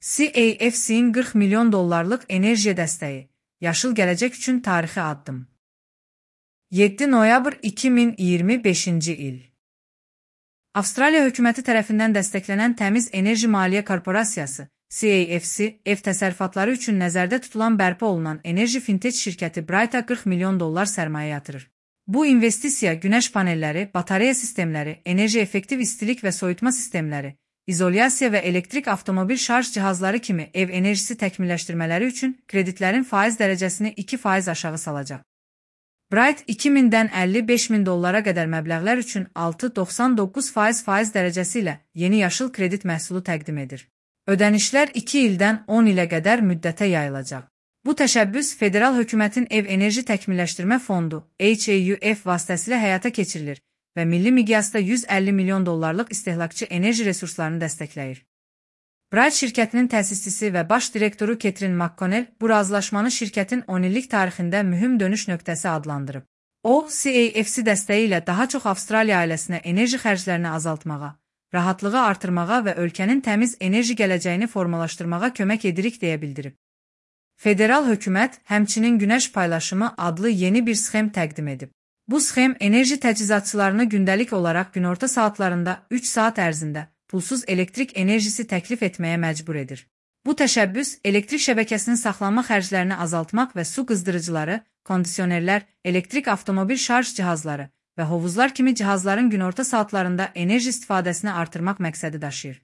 CAFC-nin 40 milyon dollarlıq enerji dəstəyi, yaşıl gələcək üçün tarixi addım. 7 noyabr 2025-ci il. Avstraliya hökuməti tərəfindən dəstəklənən Təmiz Enerji Maliyyə Korporasiyası, CAFC, ev təsərrüfatları üçün nəzərdə tutulan bərpa olunan enerji fintech şirkəti Brighta 40 milyon dollar sərmayə yatırır. Bu investisiya günəş panelləri, batareya sistemləri, enerji effektiv istilik və soyutma sistemləri, izolyasiya və elektrik avtomobil şarj cihazları kimi ev enerjisi təkmilləşdirmələri üçün kreditlərin faiz dərəcəsini 2% aşağı salacaq. Bright 2000-dən 55.000 dollara qədər məbləğlər üçün 6,99% faiz dərəcəsi ilə yeni yaşıl kredit məhsulu təqdim edir. Ödənişlər 2 ildən 10 ilə qədər müddətə yayılacaq. Bu təşəbbüs Federal Hökumətin Ev Enerji Təkmilləşdirmə Fondu HAUF vasitəsilə həyata keçirilir və milli miqyasda 150 milyon dollarlıq istehlakçı enerji resurslarını dəstəkləyir. Bright şirkətinin təsisçisi və baş direktoru Catherine McConnell bu razılaşmanı şirkətin 10 illik tarixində mühüm dönüş nöqtəsi adlandırıb. O, CAFC dəstəyi ilə daha çox Avstraliya ailəsinə enerji xərclərini azaltmağa, rahatlığı artırmağa və ölkənin təmiz enerji gələcəyini formalaşdırmağa kömək edirik deyə bildirib. Federal hökumət həmçinin Günəş Paylaşımı adlı yeni bir sxem təqdim edib. Bu sxem enerji təchizatçılarını gündəlik olaraq günorta saatlarında 3 saat ərzində pulsuz elektrik enerjisi təklif etməyə məcbur edir. Bu təşəbbüs elektrik şəbəkəsinin saxlanma xərclərini azaltmaq və su qızdırıcıları, kondisionerlər, elektrik avtomobil şarj cihazları və hovuzlar kimi cihazların günorta saatlarında enerji istifadəsini artırmaq məqsədi daşıyır.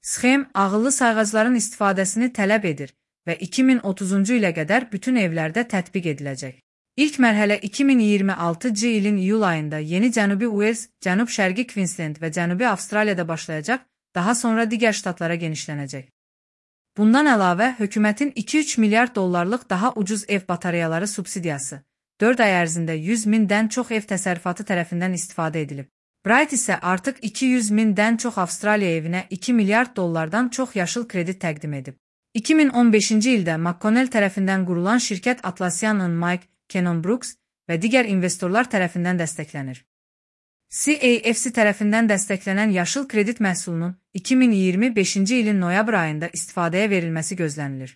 Sxem ağıllı sayğacların istifadəsini tələb edir və 2030-cu ilə qədər bütün evlərdə tətbiq ediləcək. İlk mərhələ 2026-cı ilin iyul ayında Yeni Cənubi Uels, Cənub-Şərqi Queensland və Cənubi Avstraliyada başlayacaq, daha sonra digər ştatlara genişlənəcək. Bundan əlavə, hökumətin 2-3 milyard dollarlıq daha ucuz ev batareyaları subsidiyası 4 ay ərzində 100.000-dən çox ev təsərrüfatı tərəfindən istifadə edilib. Bright isə artıq 200.000-dən çox Avstraliya evinə 2 milyard dollardan çox yaşıl kredit təqdim edib. 2015-ci ildə McConnell tərəfindən qurulan şirkət Atlassian'ın Mike Cannon Brooks və digər investorlar tərəfindən dəstəklənir. CAFC tərəfindən dəstəklənən yaşıl kredit məhsulunun 2025-ci ilin noyabr ayında istifadəyə verilməsi gözlənilir.